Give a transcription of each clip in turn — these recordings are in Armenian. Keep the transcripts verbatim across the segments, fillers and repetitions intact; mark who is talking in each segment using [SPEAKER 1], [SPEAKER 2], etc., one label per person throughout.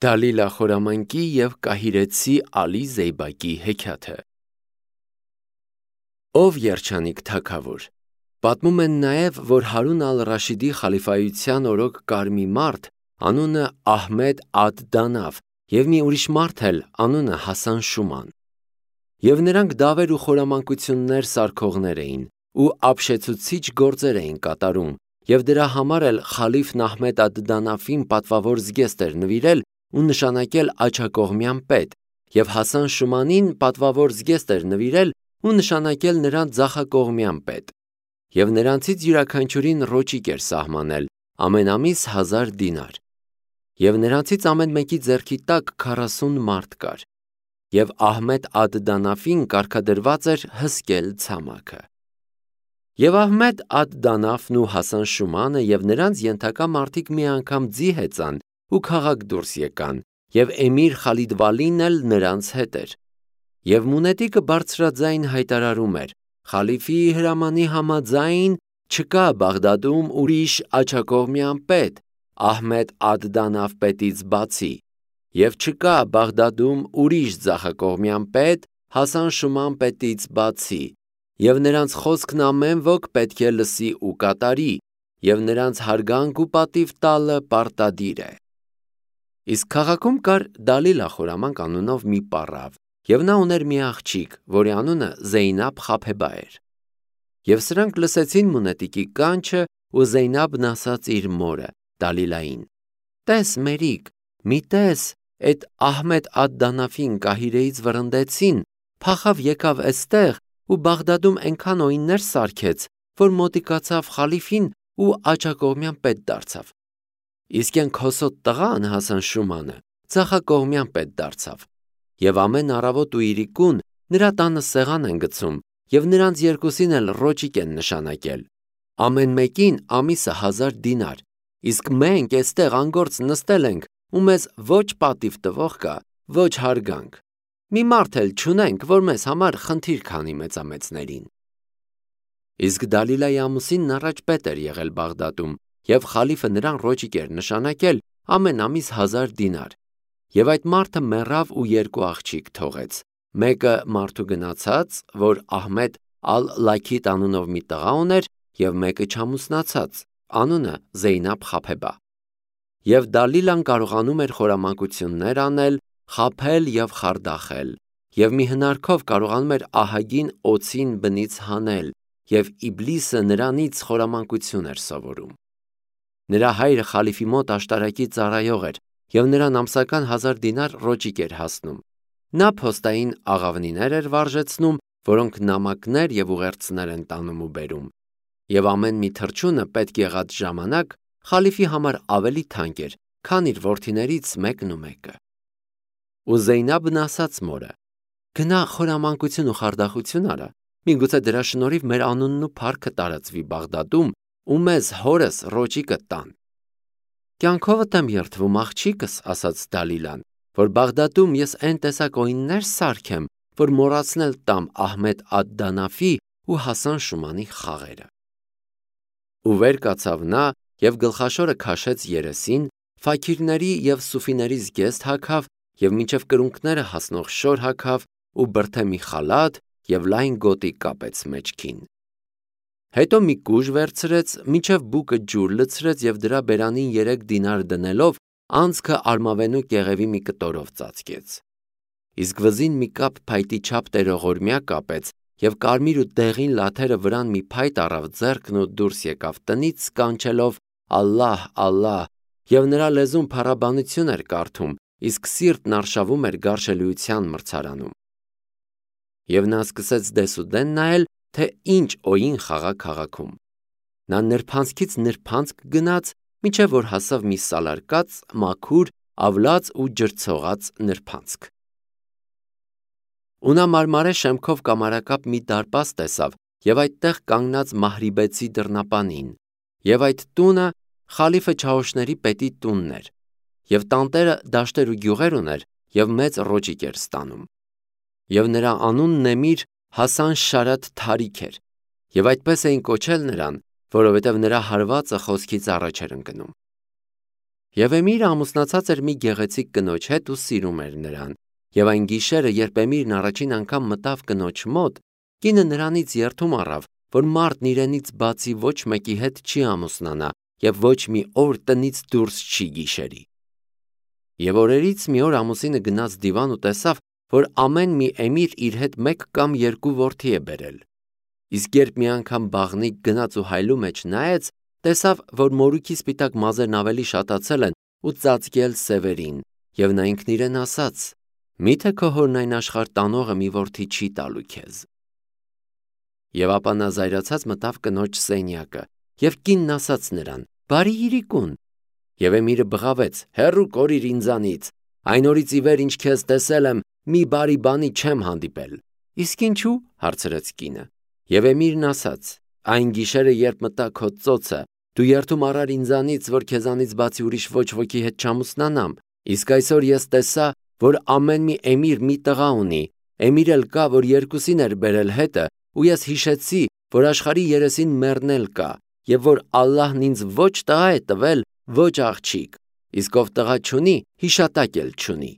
[SPEAKER 1] Դալիլա խորամանկի և կահիրեցի Ալի Զեյբակի հեքիաթը։ Ով երջանիկ թագավոր։ Պատմում են նաև, որ Հարուն ալ-Ռաշիդի խալիֆայության օրոք կար մի մարդ, անունը Ահմեդ ադ-Դանավ, և մի ուրիշ մարդ էլ, անունը Հասան Շուման։ Եվ նրանք դավեր ու խորամանկություններ սարքողներ էին, ու ապշեցուցիչ գործեր էին կատարում, և դրա համար էլ խալիֆն Ահմեդ ադ-Դանավին պատվավոր զգեստ էր նվիրել ու նշանակել աջակողմյան պետ, և Հասան Շումանին պատվավոր զգեստ էր նվիրել ու նշանակել նրան ձախակողմյան պետ, և նրանցից յուրաքանչյուրին ռոճիկ էր սահմանել, ամեն ամիս հազար դինար, և նրանցից ամեն մեկի ձեռքի տակ քառասուն մարդ կար, և Ահմեդ ադ-Դանավին կարգադրված էր հսկել ցամաքը։ Եվ Ահմեդ ադ-Դանավն ու Հասան Շումանը և նրանց ենթակա մարդիկ մի անգամ ձի հեծան ու քաղաք դուրս եկան, և էմիր Խալիդ Վալին էլ նրանց հետ էր։ Եվ մունետիկը բարձրաձայն հայտարարում էր. «Խալիֆի հրամանի համաձայն չկա Բաղդադում ուրիշ աջակողմյան պետ Ահմեդ ադ-Դանավ պետից բացի, և չկա Բաղդադում ուրիշ ձախակողմյան պետ Հասան Շուման պետից բացի, և նրանց խոսքն ամեն ոք պետք է լսի ու կատարի, և նրանց հարգանք ու պատիվ տալը պարտադիր է»։ Իսկ քաղաքում կար Դալիլա խորամանկ անունով մի պառավ, և նա ուներ մի աղջիկ, որի անունը Զեյնաբ Խափեբա էր։ Եվ սրանք լսեցին մունետիկի կանչը, ու Զեյնաբն ասաց իր մորը Դալիլային. «Տես մերիկ, մի տես, էդ Ահմեդ ադ-Դանավին կահիրեից վռնդեցին, փախավ եկավ էստեղ ու Բաղդադում այնքան օիններ սարքեց, որ մոտիկացավ խալիֆին ու աջակողմյան պետ դարձավ։ Իսկ էն քոսոտ տղան Հասան Շումանը ձախակողմյան պետ դարձավ, և ամեն առավոտ ու իրիկուն նրա տանը սեղան են գցում, և նրանց երկուսին էլ ռոճիկ են նշանակել, ամեն մեկին ամիսը հազար դինար, իսկ մենք էստեղ անգործ նստել ենք ու մեզ ոչ պատիվ տվող կա, ոչ հարգանք, մի մարդ էլ չունենք, որ մեզ համար խնդիր քանի մեծամեծներին»։ Իսկ Դալիլայի ամուսինն առաջ պետ էր եղել Բաղդադում, և խալիֆը նրան ռոճիկ էր նշանակել ամեն ամիս հազար դինար, և այդ մարդը մեռավ ու երկու աղջիկ թողեց, մեկը մարդու գնացած, որ Ահմեդ ալ-Լաքիթ անունով մի տղա ուներ, և մեկը չամուսնացած, անունը Զեյնաբ Խափեբա։ Եվ Դալիլան կարողանում էր խորամանկություններ անել, խաբել և խարդախել, և մի հնարքով կարողանում էր ահագին օձին բնից հանել, և Իբլիսը նրանից խորամանկություն էր սովորում։ Նրա հայրը խալիֆի մոտ աշտարակի ծառայող էր, և նրան ամսական հազար դինար ռոճիկ էր հասնում։ Նա փոստային աղավնիներ էր վարժեցնում, որոնք նամակներ և ուղերձներ են տանում ու բերում, և ամեն մի թռչունը պետք եղած ժամանակ խալիֆի համար ավելի թանկ էր, քան իր որդիներից մեկն ու մեկը։ Ու Զեյնաբն ասաց մորը. «Գնա խորամանկություն ու խարդախություն արա, միգուցե դրա շնորհիվ մեր անունն ու փառքը տարածվի Բաղդադում, ու մեզ հորս ռոճիկը տան»։ «Կյանքովդ եմ երդվում, աղջիկս», ասաց Դալիլան, «որ Բաղդադում ես էն տեսակ օիններ սարքեմ, որ մոռացնել տամ Ահմեդ ադ-Դանավի ու Հասան Շումանի խաղերը»։ Ու վեր կացավ նա և գլխաշորը քաշեց երեսին, ֆաքիրների և սուֆիների զգեստ հագավ և մինչև կրունկները հասնող շոր հագավ ու բրդե մի խալաթ և լայն գոտի կապեց մեջքին։ Հետո մի կուժ վերցրեց, մինչև բուկը ջուր լցրեց և դրա բերանին երեք դինար դնելով անցքը արմավենու կեղևի մի կտորով ծածկեց։ Իսկ վզին մի կապ փայտի չափ տերողորմյա կապեց և կարմիր ու դեղին լաթերը վրան մի փայտ առավ ձեռքն ու դուրս եկավ տնից կանչելով «Ալլահ, Ալլահ», և նրա լեզուն փառաբանություն էր կարդում, իսկ սիրտն արշավում էր գարշելիության մրցարանում։ Եվ նա սկսեց դեսուդեն նայել, թե ինչ օին խաղա քաղաքում։ Նա նրբանցքից նրբանցք գնաց, մինչև որ հասավ մի սալարկած, մաքուր, ավլած ու ջրցողած նրբանցք։ Ու նա մարմարե շեմքով կամարակապ մի դարպաս տեսավ և այդտեղ կանգնած Մահրիբեցի դռնապանին, և այդ տունը խալիֆե Չաուշների պետի տունն էր, և տանտերը դաշտեր ու գյուղեր ուներ և մեծ ռոճիկ էր ստանում։ Եվ նրա անունն էմիր Հասան Շարաթ Թարիք էր, և այդպես էին կոչել նրան, որովհետև նրա հարվածը խոսքից առաջ էր ընկնում։ Եվ Էմիրը ամուսնացած էր մի գեղեցիկ կնոջ հետ ու սիրում էր նրան, եւ այն գիշերը, երբ Էմիրն առաջին անգամ մտավ կնոջ մոտ, կինը նրանից երդում առավ, որ մարդն իրենից բացի ոչ մեկի հետ չի ամուսնանա եւ ոչ մի օր տնից դուրս չի գիշերի։ Եվ օրերից մի օր ամուսինը գնաց դիվան ու տեսավ, որ ամեն մի Էմիր իր հետ մեկ կամ երկու որդի է բերել։ Իսկ երբ մի անգամ բաղնիկ գնաց ու հայլու մեջ նայեց, տեսավ, որ մորուքի սպիտակ մազերն ավելի շատացել են ու ծածկել սևերին, եւ նա ինքն իրեն ասաց. «Միթե քո հորն այն աշխարհ տանողը մի որդի չի տալու քեզ»։ Եվ ապա նա զայրացած մտավ կնոջ սենյակը, եւ կինն ասաց նրան. «Բարի իրիկուն»։ Եվ Էմիրը բղավեց. «Հեռու կորիր ինձանից, այն օրից ի վեր ինչ քեզ տեսել եմ, մի բարի բանի չեմ հանդիպել»։ «Իսկ ինչու՞, հարցրեց կինը։ Եվ Էմիրն ասաց. «Այն գիշերը, երբ մտա քո ծոցը, դու երդում առար ինձանից, որ քեզանից բացի ուրիշ ոչ ոքի հետ չամուսնանամ, իսկ այսօր ես տեսա, որ ամեն մի Էմիր մի տղա ունի, Էմիր էլ կա, որ երկուսին էր բերել հետը, ու ես հիշեցի, որ աշխարհի երեսին մեռն էլ կա, եւ որ Ալլահն ինձ ոչ տղա է տվել, ոչ աղջիկ, իսկ ով տղա չունի, հիշատակ էլ չունի։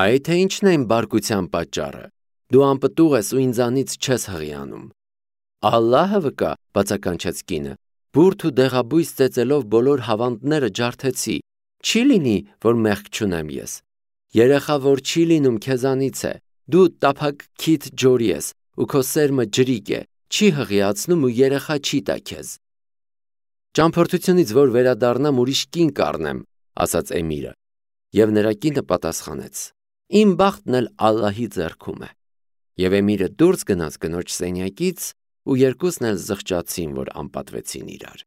[SPEAKER 1] Այ թե ինչն է իմ բարկության պատճառը, դու անպտուղ ես ու ինձանից չես հղիանում»։ «Ալլահը վկա», բացականչեց կինը, «բուրդ ու դեղաբույս ծեծելով բոլոր հավանդները ջարդեցի, չի լինի, որ մեղք չունեմ ես։ Երեխա, որ չի լինում, քեզանից է, դու տափակ քիթ ջորի ես, ու քո սերմը ջրիկ է, չի հղիացնում ու երեխա չի տա քեզ»։ «Ճամփորդությունից որ վերադառնամ, ուրիշ կին կառնեմ», ասաց Էմիրը, եւ նրա կինը պատասխանեց. «Իմ բախտն էլ Ալլահի ձեռքում է»։ Եվ Էմիրը դուրս գնաց կնոջ սենյակից, ու երկուսն էլ զղջացին, որ անպատվեցին իրար։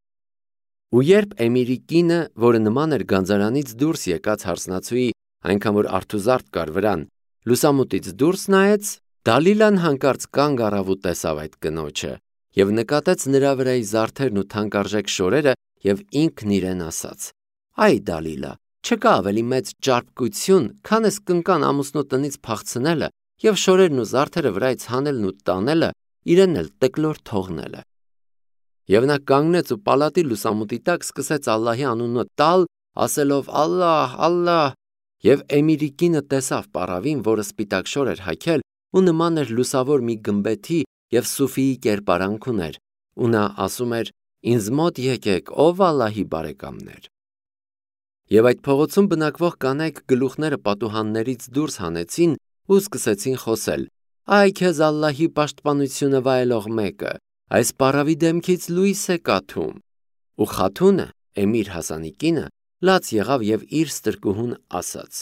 [SPEAKER 1] Ու երբ Էմիրի կինը, որը նման էր գանձարանից դուրս եկած հարսնացուի, այնքան որ արթուզարդ կար վրան, լուսամուտից դուրս նայեց, Դալիլան հանկարծ կանգ առավ ու տեսավ այդ կնոջը, եւ նկատեց նրա վրայի զարդերն ու թանկարժեք շորերը, եւ ինքն իրեն ասաց. «Այ Դալիլա, չկա ավելի մեծ ճարպկություն, քան էս կնկան ամուսնու տնից փախցնելը եւ շորերն ու զարդերը վրայից հանելն ու տանելը, իրեն էլ տկլոր թողնելը»։ Եվ նա կանգնեց ու պալատի լուսամուտի տակ սկսեց Ալլահի անունը տալ, ասելով. «Ալլահ, Ալլահ», եւ Էմիրի կինը տեսավ պառավին, որը սպիտակ շոր էր հագել ու նման էր լուսավոր մի գմբեթի եւ Սուֆիի կերպարանք ուներ, ու նա ասում էր. «Ինձ մոտ եկեք, ով Ալլահի բարեկամներ»։ Եվ այդ փողոցում բնակվող կանայք գլուխները պատուհաններից դուրս հանեցին ու սկսեցին խոսել. «Այ քեզ Ալլահի պաշտպանությունը վայելող մեկը, այս պառավի դեմքից լույս է կաթում»։ Ու Խաթունը, Էմիր Հասանի կինը, լաց եղավ եւ իր ստրկուհուն ասաց.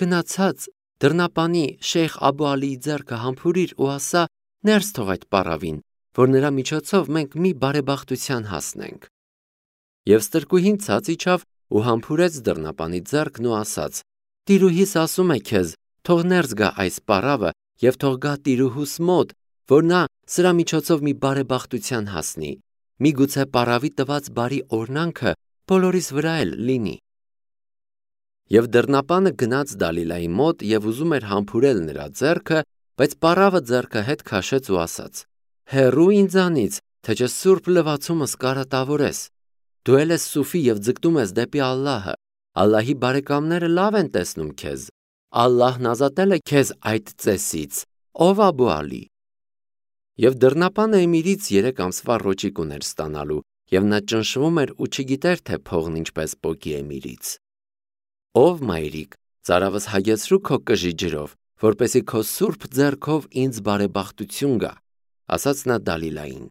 [SPEAKER 1] «Գնացած դռնապանի Շեյխ Աբու Ալիի ձեռքը համբուրիր ու ասա. ներս թող այդ պառավին, որ նրա միջոցով մենք մի բարեբախտության հասնենք»։ Եվ ստրկուհին ցած իջավ ու համբուրեց դռնապանի ձեռքն ու ասաց. «Տիրուհիս ասում է քեզ, թող ներս գա այս պառավը եւ թող գա տիրուհուս մոտ, որ նա սրա միջոցով մի բարեբախտության հասնի, միգուցե պառավի տված բարի օրհնանքը բոլորիս վրա էլ լինի»։ Եվ դռնապանը գնաց Դալիլայի մոտ եւ ուզում էր համբուրել նրա ձեռքը, բայց պառավը ձեռքը հետ քաշեց ու ասաց. «Հեռու ինձանից, թե չէ սուրբ լվացումս կարատավորես։ Դու էլ ես սուֆի եւ ձգտում ես դեպի Ալլահը, Ալլահի բարեկամները լավ են տեսնում քեզ, Ալլահն ազատել է քեզ այդ ծեսից, ով Աբու Ալի»։ Եվ դռնապանը Էմիրից երեք ամսվա ռոճիկ ուներ ստանալու, եւ նա ճնշվում էր ու չգիտեր, թե փողն ինչպես պոկի Էմիրից։ «Ով մայրիկ, ծարավս հագեցրու քո կժի ջրով, որպեսզի քո սուրբ ձեռքով ինձ բարեբախտություն գա», ասաց նա Դալիլային։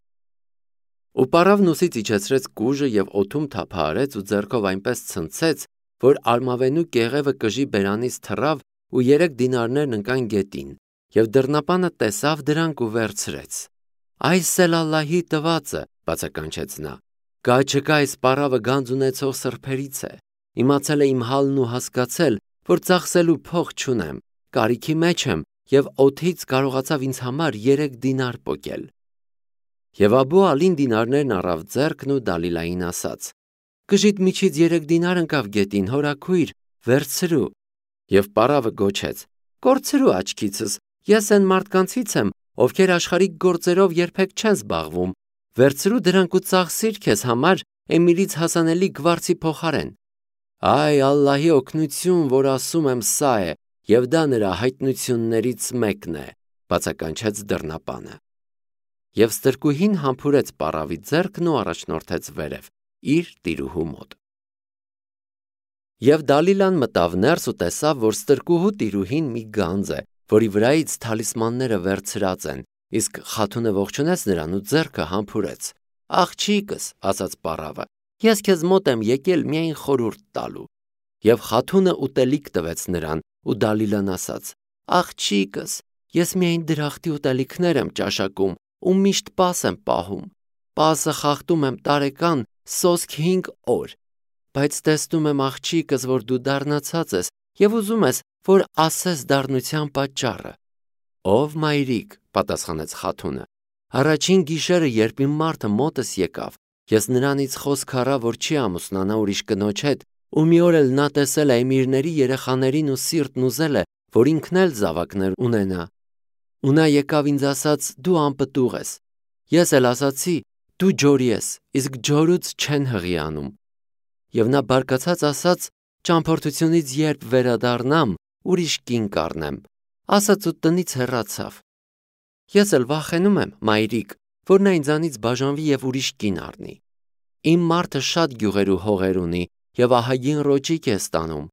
[SPEAKER 1] Ու պառավն ուսից իջեցրեց կուժը եւ օդում թափահարեց ու ձեռքով այնպես ցնցեց, որ արմավենու կեղևը կժի բերանից թռավ ու երեք դինարներն ընկան գետին, եւ դռնապանը տեսավ դրանք ու վերցրեց։ «Այս էլ Ալլահի տվածը», բացականչեց նա, «կա չկա այս պառավը գանձ ունեցող սրբերից է, իմացել է իմ հալն ու հասկացել, որ ծախսելու փող չունեմ, կարիքի մեջ եմ եւ օդից կարողացավ ինձ համար երեք դինար պոկել»։ Եվ Աբու Ալին դինարներն առավ ձեռքն ու Դալիլային ասաց. «Կժիդ միջից երեք դինար ընկավ գետին, հորաքույր, վերցրու»։ Եվ պառավը գոչեց. «Կորցրու աչքիցս, ես այն մարդկանցից եմ, ովքեր աշխարհիկ գործերով երբեք չեն զբաղվում, վերցրու դրանք ու ծախսիր քեզ համար Էմիրից հասանելի գվարցի փոխարեն, Այ Ալլահի օգնություն, որ ասում եմ սա է, և դա նրա հայտնություններից մեկն է, բացականչեց դռնապանը։ Եվ ստրկուհին համբուրեց պառավի ձեռքն ու առաջնորդեց վերև, իր տիրուհու մոտ։ Եվ Դալիլան մտավ ներս ու տեսավ, որ ստրկուհու տիրուհին մի գանձ է, որի վրայից թալիսմանները վերցրած են, իսկ խաթունը ողջունեց նրան ու ձեռքը համբուրեց։ Աղջիկս, ասաց պառավը, ես քեզ մոտ եմ եկել միայն խորհուրդ տալու։ Եվ խաթունը ուտելիք տվեց նրան, ու Դալիլան ասաց. Աղջիկս, ես միայն դրախտի ուտելիքներ եմ ճաշակում ու միշտ պաս եմ պահում։ Պասը խախտում եմ տարեկան սոսկ հինգ օր։ Բայց տեսնում եմ աղջիկս, որ դու դառնացած ես և ուզում ես, որ ասես դառնության պատճառը։ Ով մայրիկ, պատասխանեց խաթունը, առաջին գիշերը, երբ իմ մարդը մոտս եկավ, ես նրանից խոսք առա, որ չի ամուսնանա ուրիշ կնոջ հետ, ու մի օր էլ նա տեսել է էմիրների երեխաներին ու սիրտն ուզել է, որ ինքն էլ զավակներ ունենա։ Ու նա եկավ ինձ ասաց, դու անպտուղ ես։ Ես էլ ասացի, դու ջորի ես, իսկ ջորուց չեն հղիանում։ Եվ նա բարկացած ասաց, ճամփորդությունից երբ վերադառնամ, ուրիշ կին կառնեմ, ասաց ու տնից հեռացավ։ Ես էլ վախենում եմ, մայրիկ, որ նա ինձանից բաժանվի և ուրիշ կին առնի։ Իմ մարդը շատ գյուղեր ու հողեր ունի և ահագին ռոճիկ է ստանում,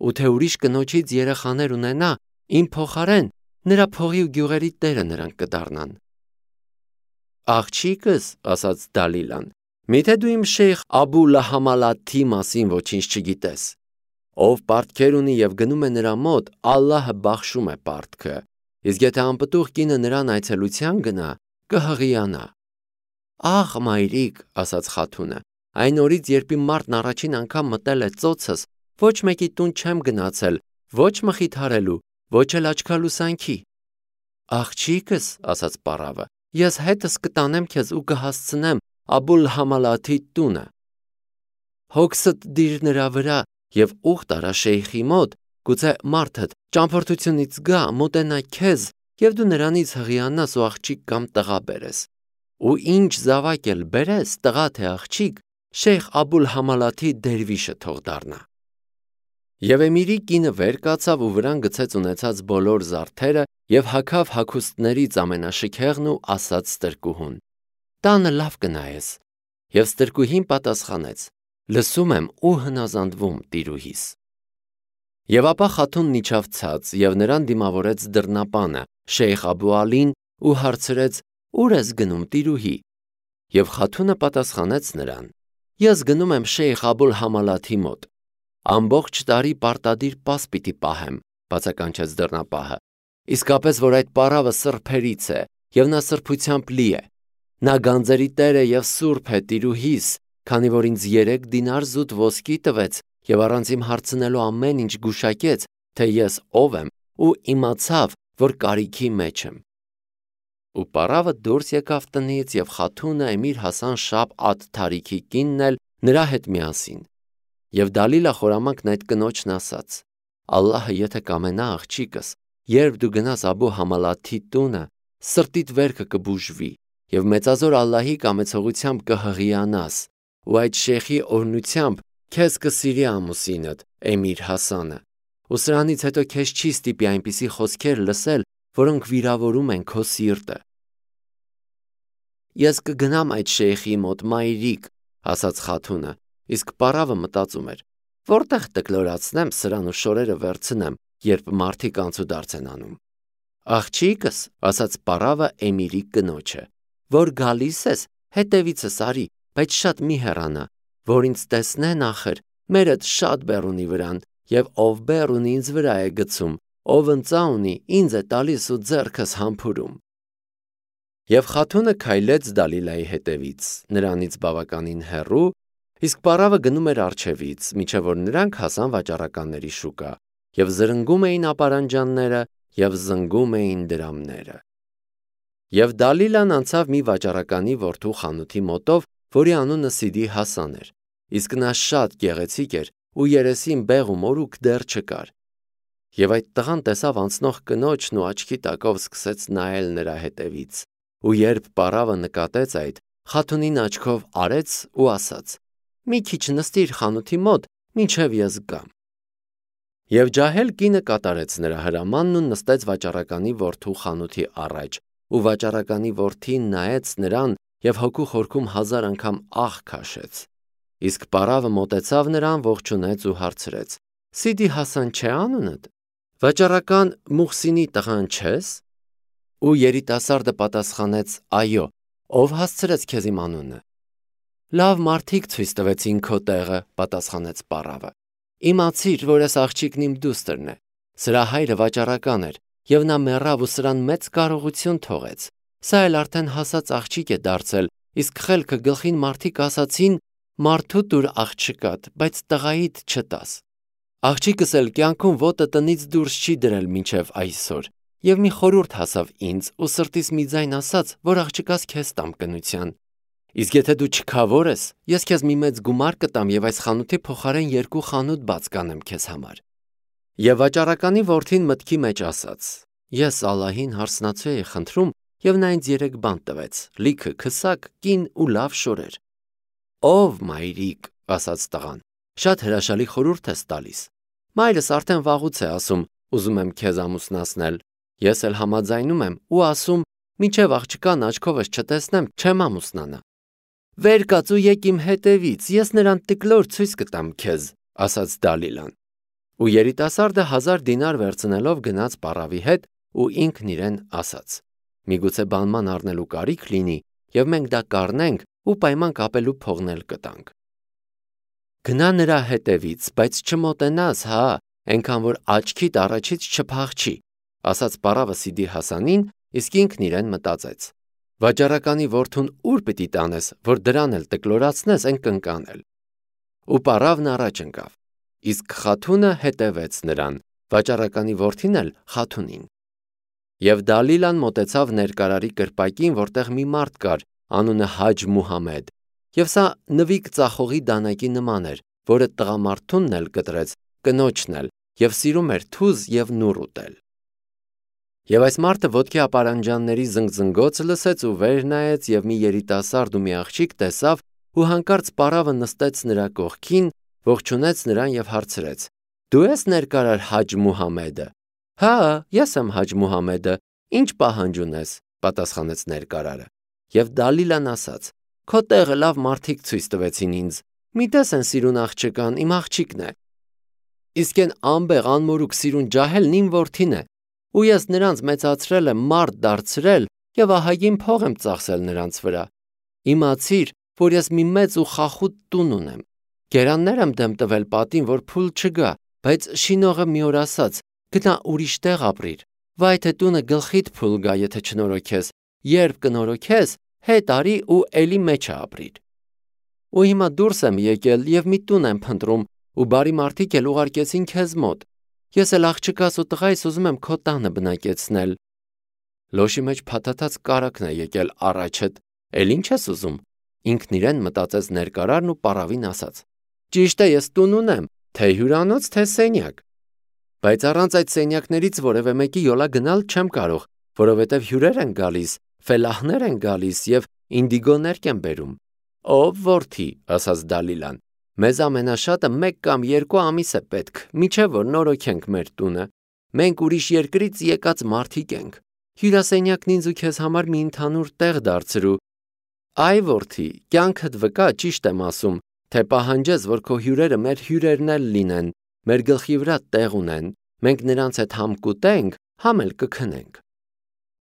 [SPEAKER 1] ու թե ուրիշ կնոջից երեխաներ ունենա, իմ փոխարեն նրա փողի ու գյուղերի տերը նրանք կդառնան։ Աղջիկս, ասաց Դալիլան, միթե դու իմ շեյխ Աբու Լահամալաթի մասին ոչինչ չգիտես։ Ով պարտքեր ունի և գնում է նրա մոտ, Ալլահը բախշում է պարտքը, իսկ եթե անպտուղ կինը նրան այցելության գնա, կհղիանա։ Ախ, մայրիկ, ասաց խաթունը, այն օրից, երբ իմ մարդն առաջին անգամ մտել է ծոցս, ոչ մեկի տուն չեմ գնացել, ոչ մխիթարելու, ոչ էլ աչքալուսանքի։ Աղջիկս, ասաց պառավը, ես հետս կտանեմ քեզ ու կհասցնեմ Աբուլ Համալաթի տունը։ Հոգսդ դիր նրա վրա և ուխտ արա շեյխի մոտ, գուցե մարդդ ճամփորդությունից գա, մոտենա քեզ և դու նրանից հղիանաս ու աղջիկ կամ տղա բերես։ Ու ինչ զավակ էլ բերես, տղա թե աղջիկ, շեյխ Աբուլ Համալաթի դերվիշը թող դառնա։ Եվ էմիրի կինը վեր կացավ ու վրան գցեց ունեցած բոլոր զարդերը և հագավ հագուստներից ամենաշքեղն ու ասաց ստրկուհուն. Տանը լավ կնայես։ Եվ ստրկուհին պատասխանեց. լսում եմ ու հնազանդվում տիրուհիս։ Եվ ապա խաթունն իջավ ցած և նրան դիմավորեց դռնապանը, շեյխ Աբու Ալին, ու հարցրեց. Ուր ես գնում, տիրուհի։ Եվ խաթունը պատասխանեց նրան. Ես գնում եմ շեյխ Աբուլ Համալաթի մոտ։ Ամբողջ տարի պարտադիր պաս պիտի պահեմ, բացականչեց դռնապահը։ Իսկապես, որ այդ պառավը սրբերից է, և նա սրբությամբ լի է։ Նա գանձերի տեր է և սուրբ է տիրուհիս, քանի որ ինձ երեք դինար զուտ ոսկի տվեց և առանց իմ հարցնելու ամեն ինչ գուշակեց, թե ես ով եմ, ու իմացավ, որ կարիքի մեջ եմ։ Ու պառավը դուրս եկավ տնից և խաթունը էմիր Հասան Շապ Աթ-Թարիքի կինն էլ նրա հետ միասին։ Եվ Դալիլա խորամանկն այդ կնոջն ասաց. Ալլահը եթե կամենա աղջիկս, երբ դու գնաս Աբու Համալաթի տունը, սրտիդ վերքը կբուժվի և մեծազոր Ալլահի կամեցողությամբ կհղիանաս, ու այդ շեյխի օրհնությամբ քեզ կսիրի ամուսինդ էմիր Հասանը, ու սրանից հետո քեզ չի ստիպի այնպիսի խոսքեր լսել, որոնք վիրավորում են քո սիրտը։ Ես կգնամ այդ շեյխի մոտ, մայրիկ, ասաց խաթունը, իսկ պառավը մտածում էր. որտեղ տկլորացնեմ սրան ու շորերը վերցնեմ, երբ մարդիկ անցուդարձ են անում։ Աղջիկս, ասաց պառավը էմիրի կնոջը, որ գալիս ես, հետևիցս արի, բայց շատ մի հեռանա, որ ինձ տեսնեն ախր, մերդ շատ բեռ ունի վրան, և ով բեռ ունի ինձ վրա է գցում, ով ընծա ունի, ինձ է տալիս ու ձեռքս համբուրում։ Եվ խաթունը քայլեց Դալիլայի հետևից, նրանից բավականին հեռու, իսկ պառավը գնում էր առջևից, մինչև որ նրանք հասան վաճառականների շուկա, և զրնգում էին ապարանջանները և զնգում էին դրամները։ Եվ Դալիլան անցավ մի վաճառականի որդու խանութի մոտով, որի անունը Սիդի Հասան էր, իսկ նա շատ գեղեցիկ էր ու երեսին բեղ ու մորուք դեռ չկար։ Եվ այդ տղան տեսավ անցնող կնոջն ու աչքի տակով սկսեց նայել նրա հետևից, ու երբ պառավը նկատեց այդ, խաթունին աչքով արեց ու ասաց. մի քիչ նստիր խանութի մոտ, մինչև ես գամ։ Եվ ջահել կինը կատարեց նրա հրամանն ու նստեց վաճառականի որդու խանութի առաջ, ու վաճառականի որդին նայեց նրան և հոգու խորքում հազար անգամ ահ քաշեց։ Իսկ պարավը մոտեցավ նրան, ողջունեց ու հարցրեց. Սիդի Հասան չէ՞ անունդ։ Վաճառական Մուխսինի տղան չե՞ս։ Ու երիտասարդը պատասխանեց. Այո, ով հասցրեց քեզ իմ անունը։ Լավ մարդիկ ցույց տվեցին քո տեղը, պատասխանեց պարավը։ Իմացիր, որ այս աղջիկն իմ դուստրն է։ Սրա հայրը վաճառական էր, և նա մեռավ ու սրան մեծ կարողություն թողեց։ Սա էլ արդեն հասած աղջիկ է դարձել, իսկ խելքը գլխին մարդիկ ասացին. մարդու տուր աղջկատ, բայց տղայիդ չտաս։ Աղջիկս էլ կյանքում ոտը տնից դուրս չի դրել մինչև այսօր, և մի խորհուրդ հասավ ինձ, ու սրտիս մի ձայն ասաց, որ աղջկաս քեզ տամ կնության։ Իսկ եթե դու չքավոր ես, ես քեզ մի մեծ գումար կտամ և այս խանութի փոխարեն երկու խանութ բաց կանեմ քեզ համար։ Եվ վաճառականի որդին մտքի մեջ ասաց. Ես Ալլահին հարսնացու էի խնդրում, և նա ինձ երեք բան տվեց՝ լիքը քսակ, կին ու լավ շորեր։ Ով մայրիկ, ասաց տղան, շատ հրաշալի խորհուրդ ես տալիս։ Մայրս արդեն վաղուց է ասում, ուզում եմ քեզ ամուսնացնել։ Ես էլ համաձայնում եմ ու ասում, մինչև աղջկան աչքովս չտեսնեմ, չեմ ամուսնանա։ Վեր կաց ու եկ իմ հետևից, ես նրան տիկլոր ցույց կտամ քեզ, ասաց Դալիլան։ Ու երիտասարդը հազար դինար վերցնելով գնաց պարավի հետ ու ինքն իրեն ասաց. Միգուցե բանման առնելու կարիք լինի, և մենք դա կառնենք ու պայման կապելու փողնել կտանք։ Գնա նրա հետևից, բայց չմոտենաս, հա, այնքան որ աչքիդ առաջից չփախչի, ասաց պարավը Սիդի Հասանին, իսկ ինքն իրեն մտածեց. Վաճառականի որդուն ուր պիտի տանես, որ դրան էլ տկլորացնես այն կնկանել։ Ու պարավն առաջ ընկավ, իսկ խաթունը հետևեց նրան, վաճառականի որդին էլ խաթունին։ Եվ Դալիլան մոտեցավ ներկարարի կրպակին, որտեղ մի մարդ կար, անունը Հաջ Մուհամեդ, և սա նվիկ ծախողի դանակի նման էր, որը տղամարդունն էլ կտրեց, կնոջն էլ, և սիրում էր թուզ և նուռ ուտել։ Եվ այս մարդը ոտքի ապարանջանների զնգզնգոցը լսեց ու վեր նայեց, և մի երիտասարդ ու մի աղջիկ տեսավ, ու հանկարծ պարավը նստեց նրա կողքին, ողջունեց նրան և հարցրեց. Դու ես ներկարար Հաջ Մուհամեդը։ Հա, ես եմ Հաջ Մուհամեդը, ինչ պահանջ ունես, պատասխանեց ներկարարը։ Եվ Դալիլան ասաց. Քո տեղը լավ մարդիկ ցույց տվեցին ինձ։ Մի տես են սիրուն աղջկան, իմ աղջիկն է։ Իսկ այն անբեղ անմորուք սիրուն ջահելն իմ որդին է, ու ես նրանց մեծացրել եմ, մարդ դարձրել և ահագին փող եմ ծախսել նրանց վրա։ Իմացիր, որ ես մի մեծ ու խախուտ տուն ունեմ։ Գերաններ եմ դեմ տվել պատին, որ փուլ չգա, բայց շինողը մի օր ասաց. գնա ուրիշ տեղ ապրիր։ Վայ թե տունը գլխիդ փուլ գա, եթե չնորոգես, երբ կնորոգես, հետ արի ու էլի մեջը ապրիր։ Ու հիմա դուրս եմ եկել և մի տուն եմ փնտրում, ու բարի մարդիկ էլ ուղարկեցին քեզ մոտ։ Ես էլ աղջկաս ու տղայիս ուզում եմ քո տանը բնակեցնել։ Լոշի մեջ փաթաթած կարագն է եկել առաջդ, էլ ինչ ես ուզում։ Ինքն իրեն մտածեց ներկարարն ու պարավին ասաց. Ճիշտ է, ես տուն ունեմ, թե հյուրանոց, թե սենյակ։ Բայց առանց այդ սենյակներից որևէ մեկի յոլա գնալ չեմ կարող, որովհետև հյուրեր են գալիս, ֆելահներ են գալիս և ինդիգոներ կեն բերում։ Ով որդի, ասաց Դալիլան, մեզ ամենաշատը մեկ կամ երկու ամիս է պետք, մինչև որ նորոգենք մեր տունը։ Մենք ուրիշ երկրից եկած մարդիկ ենք։ Հյուրասենյակն ինձ ու քեզ համար մի ընդհանուր տեղ դարձրու։ Այ որդի, կյանքդ վկա, ճիշտ եմ ասում, թե պահանջես, որ քո հյուրերը մեր հյուրերն էլ լինեն, մեր գլխի վրա տեղ ունեն, մենք նրանց հետ համ կուտենք, համ էլ կքնենք։